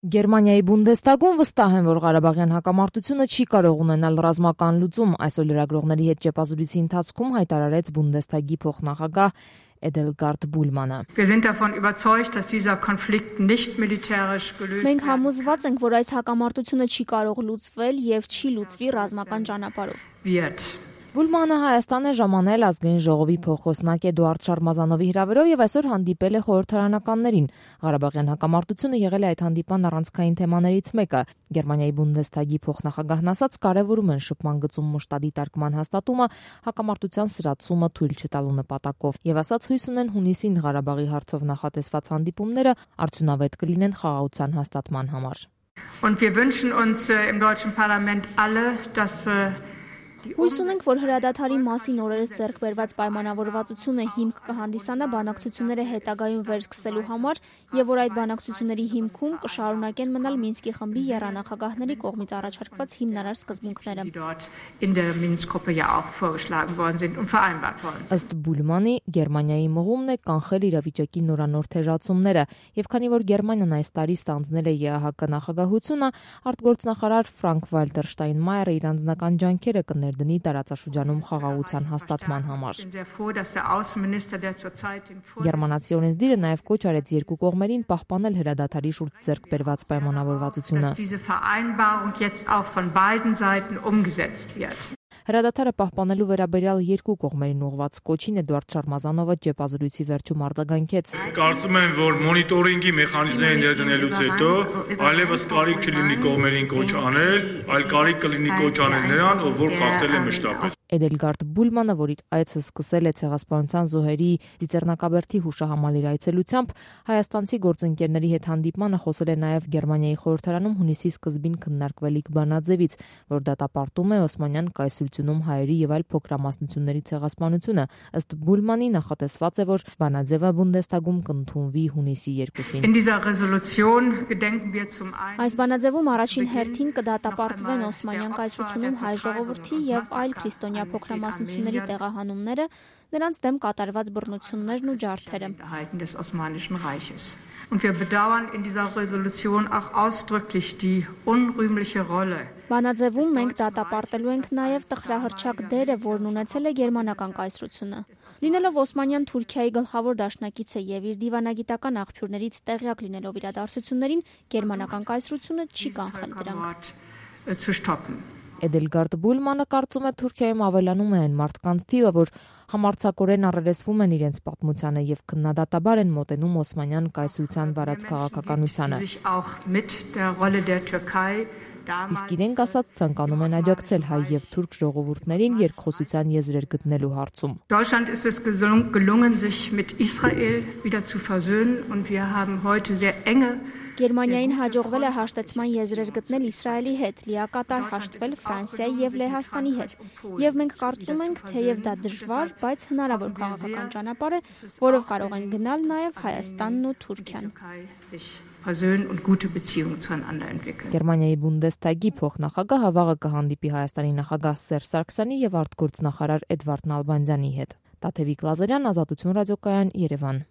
Գերմանիայի Բունդեստագում վստահ են, որ Ղարաբաղյան հակամարտությունը չի կարող ունենալ ռազմական լուծում, այսօր լրագրողների հետ ճեպազրույցի ընթացքում հայտարարեց Բունդեստագի փոխնախագահ Էդելգարդ Բուլմանը։ Մենք համոզված ենք, որ այս հակամարտությունը չի կարող լուծվել եւ չի լուծվի ռազմական ճանապարհով։ Բուլմանը Հայաստան է ժամանել ազգային ժողովի փոխոսնակ Էդուարդ Շարմազանովի հրավերով եւ այսօր հանդիպել է խորհրդարանականներին։ Ղարաբաղյան հակամարտությունը եղել է այդ հանդիպան առանցքային թեմաներից մեկը։ Գերմանիայի Բունդեստագի փոխնախագահն ասաց, կարևորում են շփման գծում մշտադի տարկման հաստատումը, հակամարտության սրացումը թույլ չտալու նպատակով եւ ասաց հույս ունեն հունիսին Ղարաբաղի հարցով նախատեսված հանդիպումները արդյունավետ կլինեն խաղաղության հաստատման համար։ Und wir wünschen uns im deutschen Parlament alle, dass Հույս ունենք, որ հրադադարի մասին օրերս ձեռք բերված պայմանավորվածությունը հիմք կհանդիսանա բանակցությունները հետագայում վերսկսելու համար եւ որ այդ բանակցությունների հիմքում կշարունակեն մնալ Մինսկի խմբի եռանախագահների կողմից առաջարկված հիմնարար սկզբունքները։ Ըստ Բուլմանի, Գերմանիայի մղումն է կանխել իրավիճակի նորանոր թեժացումները եւ քանի որ Գերմանիան այս տարի ստանձնել է ԵԱՀԿ նախագահությունը, արտգործնախարար Ֆրանկ Վալտեր Շտայնմայերը իր անձնական ջանքերը կներդնի տարածաշրջանում խաղաղության հաստատման համար։ Գերմանացի օրենսդիրը նաև կոչ արեց երկու կողմերին պահպանել հրադադարի շուրջ ձեռք բերված պայմանավորվածությունը։ Հրադադարը պահպանելու վերաբերյալ երկու կողմերին ուղղված կոչին Էդուարդ Շարմազանովը ճեպազրույցի վերջում արձագանքեց։ Կարծում եմ, որ մոնիտորինգի մեխանիզմները ներդնելուց հետո այլևս կարիք չլինի կողմերին կոչ անել, այլ կարիք կլինի կոչ անել նրան, ով որ խախտել է մշտապես։ Էդելգարդ Բուլմանը, որ իր այցը սկսել է Ցեղասպանության զոհերի Ծիծեռնակաբերդի հուշահամալիրի այցելությամբ, հայաստանցի գործընկերների հետ հանդիպմանը խոսել է նաև Գերմանիայի խորհրդարանում հունիսի սկզբին քննարկվելիք բանաձևից, որ դատապարտում է Օսմանյան կայսրությունում հայերի եւ այլ փոքրամասնությունների ցեղասպանությունը։ Ըստ Բուլմանի նախատեսված է, որ բանաձևը Բունդեստագում կընդունվի հունիսի 2-ին։ Այս բանաձևում առաջին հերթին կդատապարտվեն Օսմանյան կայսրությունում հայ ժողովրդի եւ այլ քրիստոնյա փոքրամասնությունների տեղահանումները, նրանց դեմ կատարված բռնություններն ու ջարդերը։ Und wir bedauern in dieser Resolution auch ausdrücklich die unrühmliche Rolle. Բանաձևում մենք դատապարտելու ենք նաև տխրահռչակ դերը, որն ունեցել է գերմանական կայսրությունը։ Լինելով Օսմանյան Թուրքիայի գլխավոր դաշնակիցը եւ իր դիվանագիտական աղբյուրներից տեղյակ լինելով իրադարձություններին, գերմանական կայսրությունը չի կանխել դրանք։ Էդելգարդ Բուլմանը կարծում է Թուրքիայում ավելանում է այն մարդկանց թիվը, որ համարձակորեն առերեսվում են իրենց պատմությանը եւ քննադատաբար են մոտենում Օսմանյան կայսրության վարած քաղաքականությանը։ Իսկ իրենք ասած ցանկանում են աջակցել հայ եւ թուրք ժողովուրդներին երկխոսության եզրեր գտնելու հարցում։ Deutschland ist es gelungen, sich mit Israel wieder zu versöhnen und wir haben heute sehr enge Գերմանիային հաջողվել է հաշտեցման եզրեր գտնել Իսրայելի հետ, լիակատար հաշտվել Ֆրանսիայի եւ Լեհաստանի հետ։ Եվ մենք կարծում ենք, թեև դա դժվար, բայց հնարավոր քաղաքական ճանապարհ է, որով կարող են գնալ նաեւ Հայաստանն ու Թուրքիան։ Գերմանիայի Բունդեստագի փոխնախագահը վաղը կհանդիպի Հայաստանի նախագահ Սերժ Սարգսյանի եւ արտգործնախարար Էդվարդ Նալբանդյանի հետ։ Տաթևիկ Լազարյան, Ազատություն ռադիոկայան, Երևան։